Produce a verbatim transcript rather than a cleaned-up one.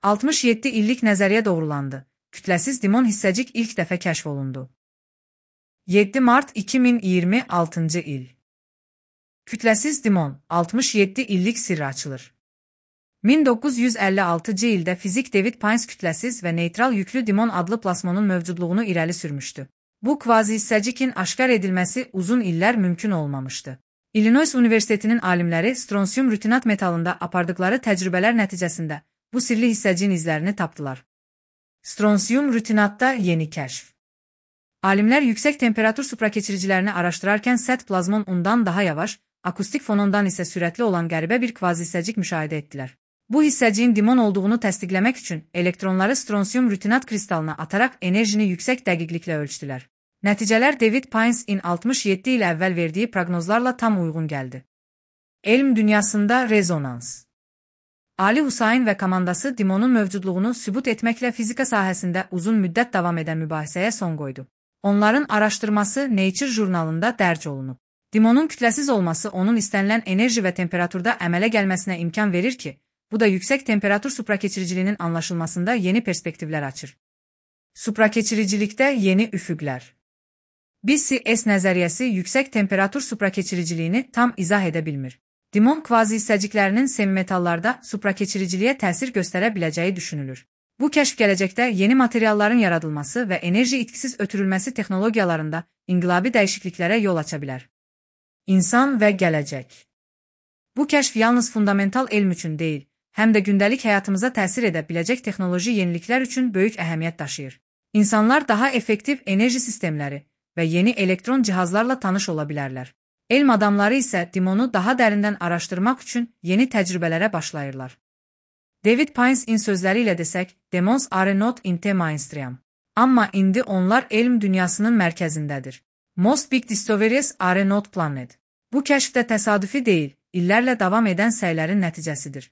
altmış yeddi illik nəzəriyyə doğrulandı. Kütləsiz dimon hissəcik ilk dəfə kəşf olundu. yeddi mart iki min iyirmi altıncı il. Kütləsiz dimon, altmış yeddi illik sirri açılır. min doqquz yüz əlli altıncı ildə fizik David Pines kütləsiz və neytral yüklü dimon adlı plasmonun mövcudluğunu irəli sürmüşdü. Bu kvazi-hissəcikin aşkar edilməsi uzun illər mümkün olmamışdı. Illinois Universitetinin alimləri stronsium rutinat metalında apardıqları təcrübələr nəticəsində bu sirli hissəciyin izlərini tapdılar. Stronsium rutinatda yeni kəşf. Alimlər yüksək temperatur suprakeçiricilərini araşdırarkən sərt plazmon ondan daha yavaş, akustik fonondan isə sürətli olan qəribə bir kvazi-hissəcik müşahidə etdilər. Bu hissəciyin dimon olduğunu təsdiqləmək üçün elektronları stronsium rutinat kristalına ataraq enerjini yüksək dəqiqliklə ölçdülər. Nəticələr David Pines'in altmış yeddi il əvvəl verdiyi proqnozlarla tam uyğun gəldi. Elm dünyasında rezonans. Ali Husayn və komandası dimonun mövcudluğunu sübut etməklə fizika sahəsində uzun müddət davam edən mübahisəyə son qoydu. Onların araşdırması Nature jurnalında dərc olunub. Dimonun kütləsiz olması onun istənilən enerji və temperaturda əmələ gəlməsinə imkan verir ki, bu da yüksək temperatur suprakeçiriciliyinin anlaşılmasında yeni perspektivlər açır. Suprakeçiricilikdə yeni üfüqlər. B C S nəzəriyyəsi yüksək temperatur suprakeçiriciliyini tam izah edə bilmir. Dimon kvazi-hissəciklərinin semimetallarda suprakeçiriciliyə təsir göstərə biləcəyi düşünülür. Bu kəşf gələcəkdə yeni materialların yaradılması və enerji itkisiz ötürülməsi texnologiyalarında inqilabi dəyişikliklərə yol aça bilər. İnsan və gələcək. Bu kəşf yalnız fundamental elm üçün deyil, həm də gündəlik həyatımıza təsir edə biləcək texnoloji yeniliklər üçün böyük əhəmiyyət daşıyır. İnsanlar daha effektiv enerji sistemləri və yeni elektron cihazlarla tanış ola bilərlər. Elm adamları isə dimonu daha dərindən araşdırmaq üçün yeni təcrübələrə başlayırlar. David Pines'in sözləri ilə desək, demons are not in the mainstream. Amma indi onlar elm dünyasının mərkəzindədir. Most big discoveries are not planned. Bu kəşf də təsadüfi deyil, illərlə davam edən səylərin nəticəsidir.